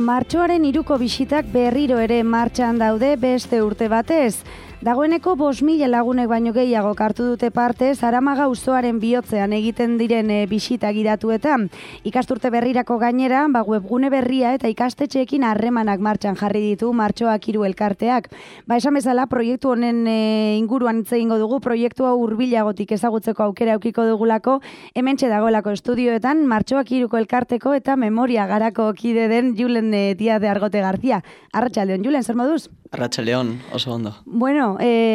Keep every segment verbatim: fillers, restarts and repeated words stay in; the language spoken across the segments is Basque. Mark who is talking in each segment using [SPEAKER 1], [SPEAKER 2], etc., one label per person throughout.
[SPEAKER 1] Martxoaren hiruko bisitak berriro ere martxan daude beste urte batez. Dagoeneko bost mila lagunek baino gehiago hartu dute parte Zaramaga auzoaren bihotzean egiten diren e, bisita gidatuetan. Ikasturte berrirako gainera, ba, webgune berria eta ikastetxeekin harremanak martxan jarri ditu Martxoak hiru elkarteak. Ba, esan bezala, proiektu honen e, inguruan hitz egingo dugu, proiektu hau hurbilagotik ezagutzeko aukera eukiko dugulako, hementxe dagoelako estudioetan Martxoak hiruko elkarteko eta memoria garako kide den Julen e, Díaz de Argote García. Arratsaldeon, Julen, zer moduz?
[SPEAKER 2] Arratsaldeon, oso ondo.
[SPEAKER 1] Bueno,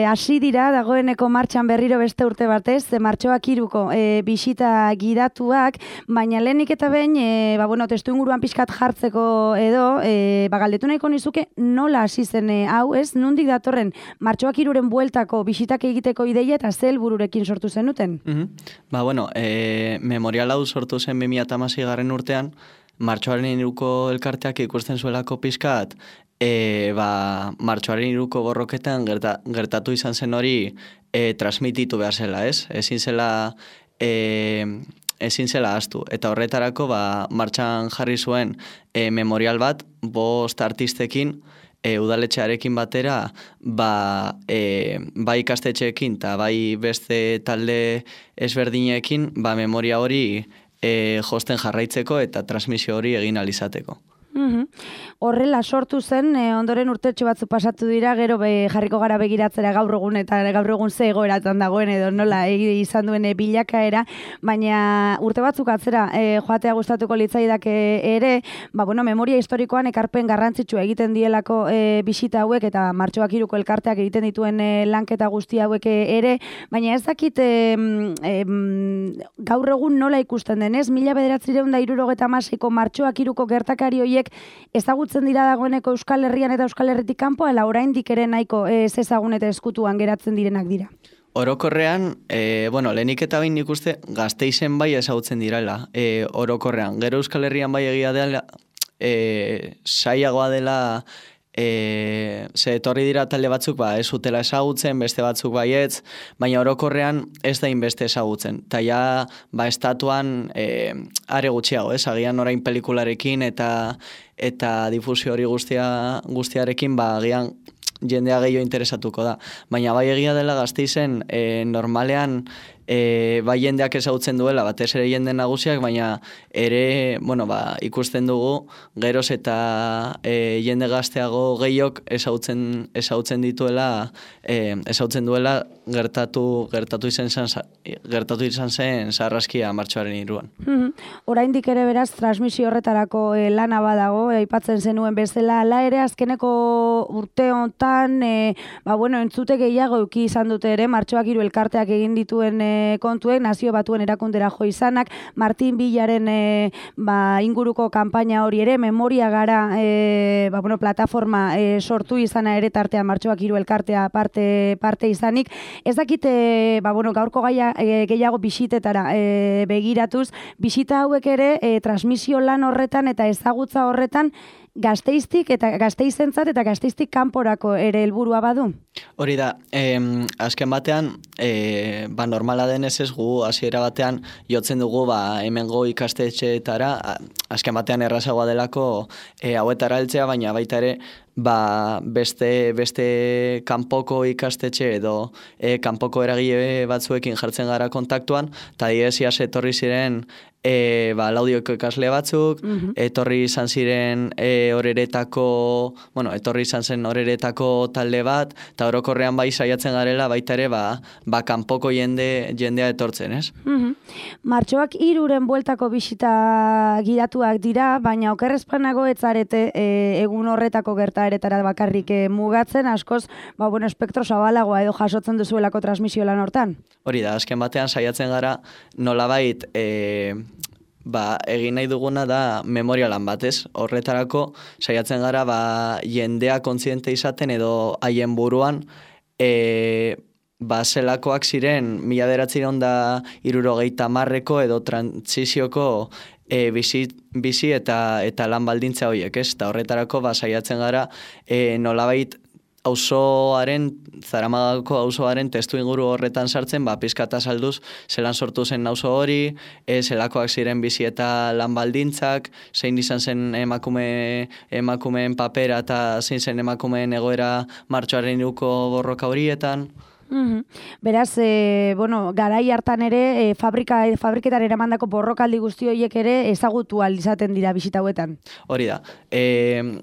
[SPEAKER 1] hasi e, dira dagoeneko martxan berriro beste urte batez, Martxoak hiruko e, bisita gidatuak, baina lehenik eta behin, e, ba, bueno, testu inguruan pixkat jartzeko edo, e, ba, galdetu nahiko nizuke nola hasi zen e, hau, ez? Nondik datorren Martxoak hiruren bueltako bisitak egiteko ideia eta ze helbururekin sortu zenuten?
[SPEAKER 2] Mm-hmm. Ba, bueno, e, memorial hau sortu zen bi mila hamasei garren urtean, Martxoaren hiruko elkarteak ikusten zuelako pixkat, E, ba, Martxoaren hiruko borroketan gerta, gertatu izan zen hori e, transmititu behar zela, ez? Ezin zela, e, ezin zela ahaztu. Eta horretarako ba, martxan jarri zuen e, memorial bat, bost artistekin, e, udaletxearekin batera, ba, e, bai ikastetxeekin eta bai beste talde ezberdinekin, ba, memoria hori e, josten jarraitzeko eta transmisio hori egin alizateko.
[SPEAKER 1] Uhum. Horrela sortu zen, e, ondoren urtetxo batzu pasatu dira, gero be, jarriko gara begiratzera gaur egun eta gaur egun ze egoeratan dagoen edo nola egi izan duen e, bilakaera, baina urte batzuk atzera e, joatea gustatuko litzaidake ere, ba, bueno, memoria historikoan ekarpen garrantzitsua egiten dielako e, bisita hauek eta Martxoak hiruko elkarteak egiten dituen e, lanketa guzti hauek ere, baina ez dakit e, e, gaur egun nola ikusten denez, mila bederatziehun eta hirurogeita hamaseiko Martxoak hiruko gertakari horiek ezagutzen dira dagoeneko Euskal Herrian eta Euskal Herritik kanpo, ala oraindik ere nahiko ez ezagun eta eskutuan geratzen direnak dira.
[SPEAKER 2] Orokorrean, e, bueno, lehenik eta behin ikuste Gasteizen bai ezagutzen direla, e, orokorrean. Gero Euskal Herrian bai egia dela, e, saiagoa dela, E, ze etorri dira talde batzuk ba, ez utela ezagutzen, beste batzuk baietz, baina orokorrean ez da inbeste ezagutzen. Ta ja, ba, estatuan e, are gutxiago, ez? Agian orain pelikularekin eta eta difusio hori guztia, guztiarekin, ba, agian jendea gehiago interesatuko da. Baina bai egia dela Gasteizen, e, normalean, E, bai jendeak ezagutzen duela, batez ere jende nagusiak, baina ere, bueno, ba, ikusten dugu, geroz eta e, jende gazteago gehiok ezagutzen, ezagutzen dituela, e, ezagutzen duela gertatu, gertatu izan zen, gertatu izan zen sarraskia Martxoaren hiruan.
[SPEAKER 1] Mm-hmm. Oraindik ere beraz, transmisio horretarako e, lana badago, aipatzen zenuen bezala, ala ere azkeneko urte honetan, e, ba, bueno, entzute gehiago euki izan dute ere, Martxoak hiru elkarteak egin dituen e, kontuek, nazio batuen erakundera jo izanak, Martin Villaren e, ba, inguruko kanpaina hori ere, memoria gara e, ba, bueno, plataforma e, sortu izana ere tartean Martxoak hiru elkartea parte, parte izanik. Ez dakite, ba, bueno, gaurko gaia e, gehiago bisitetara e, begiratuz, bisita hauek ere e, transmisio lan horretan eta ezagutza horretan Gasteiztik eta Gasteizentzat eta Gasteiztik kanporako ere helburua badu?
[SPEAKER 2] Hori da, eh, azken batean, eh, ba, normala denez ez gu, hasiera batean, jotzen dugu ba, hemengo ikastetxeetara, azken batean errazagoa delako eh, hauetara heltzea, baina baita ere, ba, beste, beste kanpoko ikastetxe edo e, kanpoko eragile batzuekin jartzen gara kontaktuan, eta diesiaz etorri ziren e, ba, laudioko ikasle batzuk, mm-hmm. etorri izan ziren e, horeretako, bueno, etorri izan zen horeretako talde bat, eta orokorrean bai saiatzen garela baita ere ba, ba kanpoko jende, jendea etortzen, ez?
[SPEAKER 1] Mm-hmm. Martxoak hiruren bueltako bisita gidatuak dira, baina okerrezpanago etzarete e, egun horretako gerta eretara bakarrik eh, mugatzen, askoz, ba, bueno, espektro zabalagoa edo jasotzen duzuelako transmisio lan hortan.
[SPEAKER 2] Hori da, azken batean saiatzen gara nolabait e, ba, egin nahi duguna da memorialan batez. Horretarako saiatzen gara ba, jendea kontziente izaten edo haien buruan e, ba, zelakoak ziren mila bederatziehun eta hirurogeita hamarreko edo trantsizioko E, bizi, bizi eta eta lan baldintza horiek, ez? Eta horretarako ba, saiatzen gara e, nolabait auzoaren, Zaramagako auzoaren testu inguru horretan sartzen, ba, pizkata salduz, zelan sortu zen auzo hori, e, zelakoak ziren bizi eta lan baldintzak, zein izan zen emakume, emakumeen papera eta zein zen emakumeen egoera martxoaren iruko borroka horietan.
[SPEAKER 1] Mm-hmm. Beraz, e, bueno, garai hartan ere, e, fabrika, fabriketan eramandako borrokaldi guzti horiek ere ezagutu ahal izaten dira bisita hauetan.
[SPEAKER 2] Hori da. E,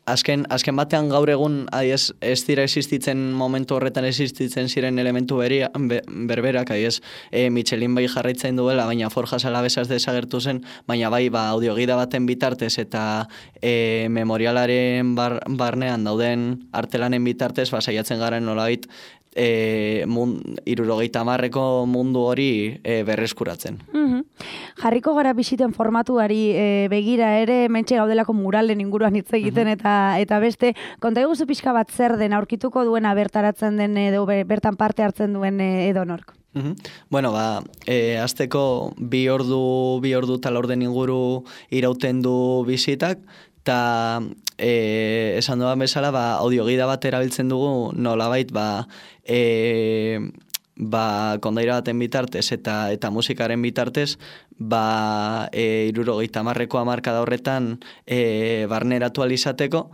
[SPEAKER 2] Azken, azken batean gaur egun adiez, ez dira existitzen momentu horretan existitzen ziren elementu beria, be, berberak, adiez, e, Michelin bai jarraitzen duela, baina Forjas Alavesas desagertu zen, baina bai ba, audiogida baten bitartez eta e, memorialaren bar, barnean dauden artelanen bitartez, ba, saiatzen garen nolabait, E, mund, irurogeita marreko mundu hori e, berreskuratzen.
[SPEAKER 1] Mm-hmm. Jarriko gara bisiten formatuari e, begira ere, mentxe gaudelako muralen inguruan hitz egiten, mm-hmm. eta eta beste, konta eguzu pixka bat zer den, aurkituko duena bertaratzen den edo bertan parte hartzen duen edonork?
[SPEAKER 2] Mm-hmm. Bueno, ba, e, azteko bi ordu, bi ordu tal orden inguru irauten du bisitak, eta e, esan duan bezala, ba, audiogida bat erabiltzen dugu nolabait, ba, e, ba, kondaira baten bitartez eta eta musikaren bitartez, ba, e, irurogeita hamarreko hamarkada horretan e, barneratu alizateko,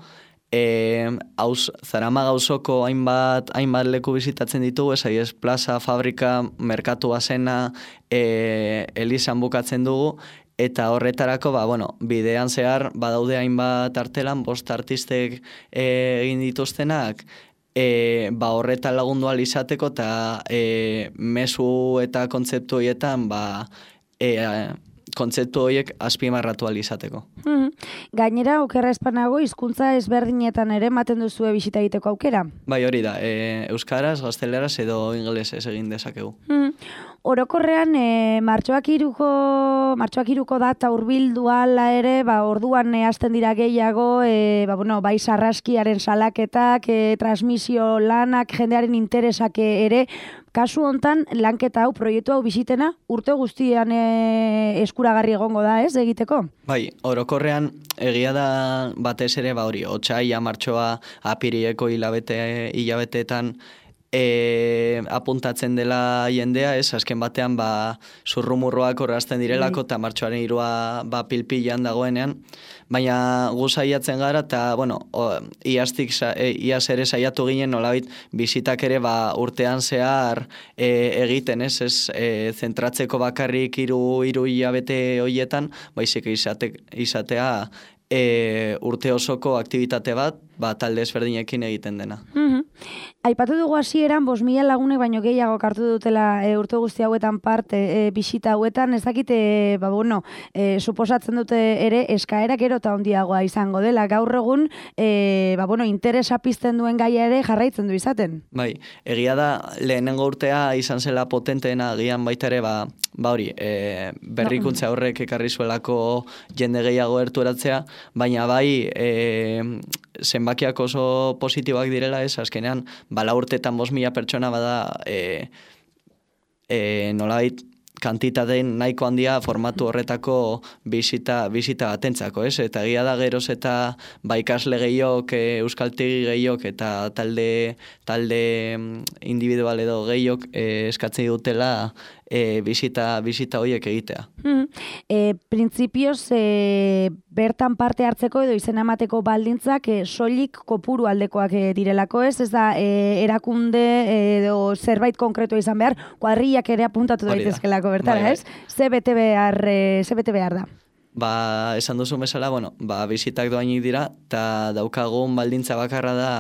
[SPEAKER 2] e, hauz, Zaramaga auzoko hainbat, hainbat leku bizitatzen ditugu, ez plaza, fabrika, merkatu bazena, e, elizan bukatzen dugu, eta horretarako, ba, bueno, bidean zehar, badaude hainbat artelan, bost artistek e, egin dituztenak, e, ba, horretan lagundu ahal izateko, eta e, mezu eta kontzeptu horietan, ba, e, kontzeptu horiek azpimarratu ahal izateko.
[SPEAKER 1] Mm-hmm. Gainera, okerra espanago, hizkuntza ezberdinetan ere ematen duzue bisita egiteko aukera?
[SPEAKER 2] Bai, hori da, e, euskaraz, gazteleraz edo ingelesez egin dezakegu.
[SPEAKER 1] Mm-hmm. Orokorrean, e, martxoak iruko, martxoak iruko data hurbildu ala ere, ba, orduan e, hasten dira gehiago, e, ba, bueno, bai sarraskiaren salaketak, e, transmisio lanak, jendearen interesak ere, kasu hontan lanketa hau, proiektu hau bisitena, urte guztian e, eskuragarri egongo da, ez, egiteko?
[SPEAKER 2] Bai, orokorrean egia da batez ere, ba hori, otsaila, martxoa, apirieko hilabete, hilabeteetan, E, apuntatzen dela jendea, ez, azken batean ba, zurrumurroak horrazten direlako eta martxoaren irua ba, pilpilan dagoenean, baina gu saiatzen gara eta, bueno, o, iaztik, e, iaz ere saiatu ginen nolabait bisitak ere ba, urtean zehar e, egiten, ez, ez, e, zentratzeko bakarrik hiru hiru hilabete horietan, baizik izate, izatea e, urte osoko aktivitate bat, ba, talde ezberdinekin egiten dena.
[SPEAKER 1] Mm-hmm. Aipatu dugu hasieran bost mila lagunek baino gehiago hartu dutela e, urte guzti hauetan parte e, bisita hauetan, ez dakite, ba, bueno, e, suposatzen dute ere eskaera gero eta handiagoa izango dela. Gaur egun, e, ba, bueno, interesa pizten duen gaia ere jarraitzen du izaten.
[SPEAKER 2] Bai, egia da lehenengo urtea izan zela potenteena, gian baita ere, ba, ba hori, e, berrikuntza horrek ekarri zuelako jende gehiago erturatzea, baina bai, e, zenbakiak oso positiboak direla, ez, azkenean, bala urtetan bost mila pertsona bada e, e, nolabait kantitateen nahiko handia formatu horretako bisita, bisita batentzako, ez? Eta egia da geroz eta ba, ikasle gehiok, e, euskaltegi gehiok eta talde, talde individual edo gehiok e, eskatzen dutela e, bisita, bisita horiek egitea.
[SPEAKER 1] Mm. E, Printzipioz, e, bertan parte hartzeko edo izena emateko baldintzak e, soilik kopuru aldekoak e, direlako, ez? Ez da, e, erakunde edo zerbait konkretua izan behar, kuadrillak ere apuntatu daitezkelako bertara, bai, ez? Ze bete behar, e, ze bete behar da?
[SPEAKER 2] Ba, esan duzu bezala, bueno, ba, bisitak doainik dira, eta daukagun baldintza bakarra da,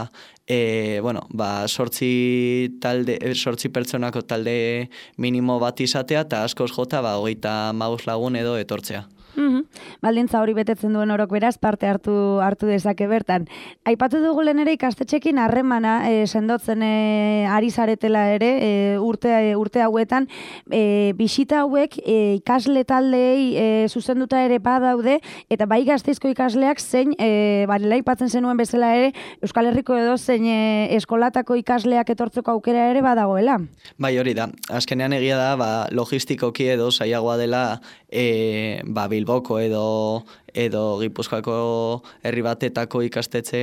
[SPEAKER 2] e, bueno, ba, sortzi, talde, sortzi pertsonako talde minimo bat izatea, eta askoz jota, ba, hogeita maus lagun edo etortzea.
[SPEAKER 1] Mm-hmm. Baldintza hori betetzen duen orok beraz parte hartu hartu dezake bertan. Aipatu dugu lehen ere ikastetxekin harremana e, sendotzen e, ari zaretela ere e, urte, urte hauetan e, bisita hauek e, ikasle taldeei e, zuzenduta ere badaude eta bai Gasteizko ikasleak zein e, barela aipatzen zenuen bezala ere Euskal Herriko edo zein e, eskolatako ikasleak etortzeko aukera ere badagoela.
[SPEAKER 2] Bai, hori da. Azkenean egia da ba, logistikoki edo zailagoa dela e, ba, Bilboko edo edo Gipuzkoako herri batetako ikastetxe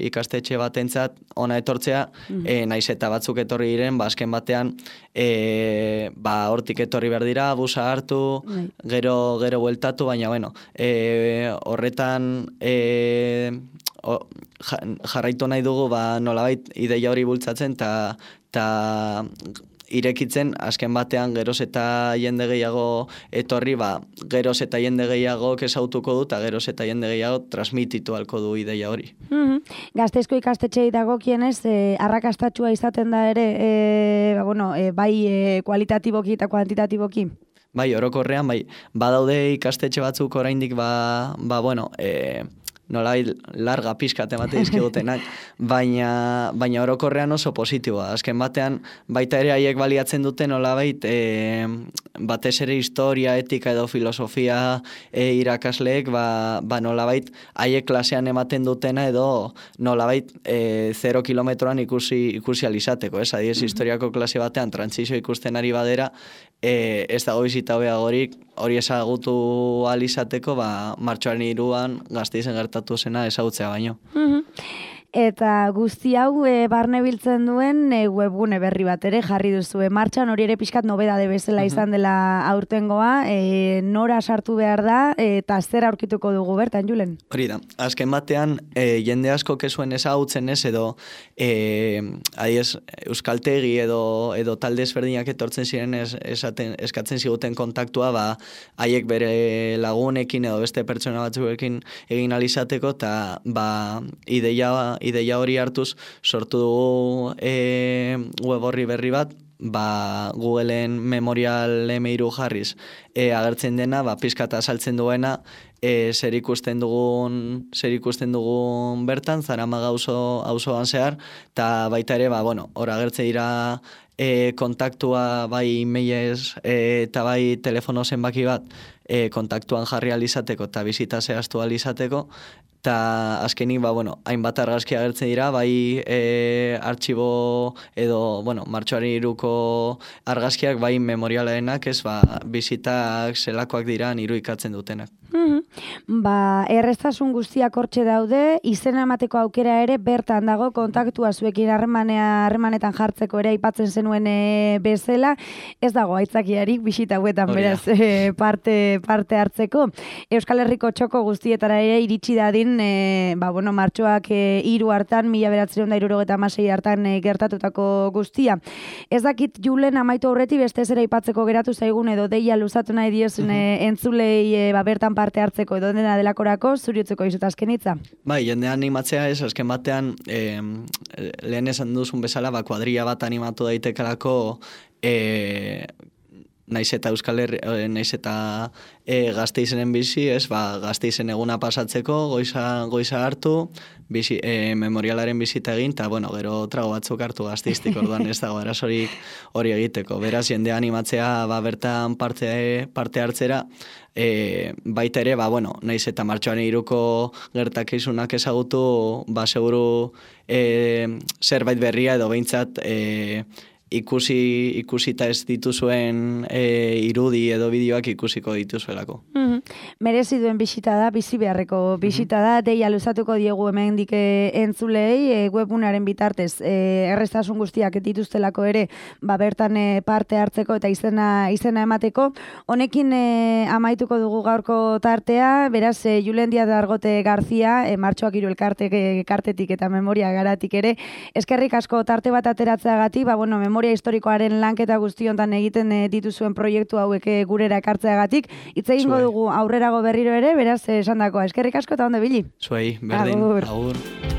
[SPEAKER 2] ikastetxe batentzat ona etortzea, mm-hmm. e, naiz eta batzuk etorri diren, ba azken batean e, ba hortik etorri behar dira, busa hartu, mm. gero gero bueltatu, baina bueno, e, horretan e, o, jarraitu nahi dugu ba nolabait ideia hori bultzatzen ta ta irekitzen, azken batean geroz eta jende gehiago etorri, ba, geroz eta jende gehiago kesautuko du, eta geroz eta jende gehiago transmititu halko du ideia hori.
[SPEAKER 1] Mm-hmm. Gazteizko ikastetxei dagokienez, eh, arrakastatxua izaten da ere, eh, ba, bueno, eh, bai eh, kualitatiboki eta kuantitatiboki?
[SPEAKER 2] Bai, orokorrean, bai, badaude ikastetxe batzuk oraindik, ba, ba bueno, eh, nolai larga pizkat emate dizkigutenak, baina, baina orokorrean oso positiboa. Azken batean, baita ere haiek baliatzen dute nolabait, e, batez ere historia, etika edo filosofia e, irakasleek, ba, ba nolabait haiek klasean ematen dutena edo nolabait e, zero kilometroan ikusi, ikusi alizateko. Ez, adiez, historiako klase batean trantzizio ikusten ari badera, E, ez dago bizita hobeagorik hori ezagutu alizateko, ba, martxoaren hiruan Gasteizen gertatu zena ezagutzea baino.
[SPEAKER 1] Mm-hmm. Eta guzti hau e, barne biltzen duen e, webgune berri bat ere jarri duzu. E, martxan hori ere pixkat nobedade bezala uh-huh. izan dela aurtengoa, e, nora sartu behar da eta zer aurkituko dugu bertan, Julen?
[SPEAKER 2] Hori da, azken batean e, jende asko kezuen ezagutzen ez edo e, adiez, euskaltegi edo, edo talde ezberdinak etortzen ziren ez, esaten, eskatzen ziguten kontaktua, ba, haiek bere lagunekin edo beste pertsona batzuekin egin alizateko, eta ba, ideia ideia hori hartuz sortu dugu e, web horri berri bat, ba, Googleen Memorial eme hiru jarriz e, agertzen dena, ba, pizkata saltzen duena, e, zer ikusten dugun, zer ikusten dugun bertan, Zaramaga auzo auzoan zehar, eta baita ere, ba, bueno, hor agertzen dira e, kontaktua bai mailez e, eta bai telefono zenbaki bat e, kontaktuan jarri alizateko eta bizita zehaztu alizateko, eta azkenik, ba, bueno, hainbat argazki agertzen dira, bai e, artxibo edo, bueno, martxoaren hiruko argazkiak, bai memorialarenak, ez, ba, bizitak zelakoak dira irudikatzen dutenak.
[SPEAKER 1] Mm-hmm. Ba, erreztasun guztiak hortxe daude, izena emateko aukera ere bertan dago, kontaktua zuekin harremanea harremanetan jartzeko ere aipatzen zenuen e, bezala, ez dago aitzakiarik bisita hauetan beraz e, parte, parte hartzeko. Euskal Herriko txoko guztietara ere iritsi dadin, e, ba, bueno, martxoak e, hiru hartan, mila bederatziehun eta hirurogeita hamasei hartan e, gertatutako guztia. Ez dakit, Julen, amaitu aurretik beste zera aipatzeko geratu zaigun edo deia luzatu nahi diozun mm-hmm. e, entzulei e, ba, bertan parte hartzeko edo dena delakorako zuriutzeko izut azken hitza? Bai,
[SPEAKER 2] jende animatzea ez, azken batean eh, lehen esan duzun bezala, ba, kuadrilla bat animatu daitekelako eh, naiz eta Euskal Herri, naiz eta e, Gasteizenen bizi, ez, ba, Gasteizen eguna pasatzeko, goiza, goiza hartu, bizi, e, memorialaren bizita egin, eta, bueno, gero trago batzuk hartu Gasteiztik, orduan ez dago arazorik hori egiteko. Beraz, jende animatzea, ba, bertan parte, parte hartzera, e, baita ere, ba, bueno, naiz eta martxoaren hiruko gertakizunak ezagutu, ba, seguru e, zerbait berria edo behintzat, e, ikusi ikusita ez dituzuen e, irudi edo bideoak ikusiko dituzuelako. Mm-hmm.
[SPEAKER 1] Merezi duen bisita da, bizi beharreko bisita da, deia luzatuko diegu hemen dike entzulei, e, webunaren bitartez, e, erreztasun guztiak dituztelako ere, ba, bertan e, parte hartzeko eta izena izena emateko. Honekin e, amaituko dugu gaurko tartea, beraz, e, Julen Díaz de Argote Garzia, e, martxoak hiru elkarte, e, kartetik eta memoria garatik ere, eskerrik asko tarte bat ateratzeagatik, ba, bueno, memoria historikoaren lanketa guztiontan egiten e, dituzuen proiektu hauek e, gurera ekartzeagatik. Hitz egingo dugu aurrerago berriro ere, beraz esandakoa. Eskerrik asko eta ondo bili.
[SPEAKER 2] Zuei, berdin. Agur. Agur.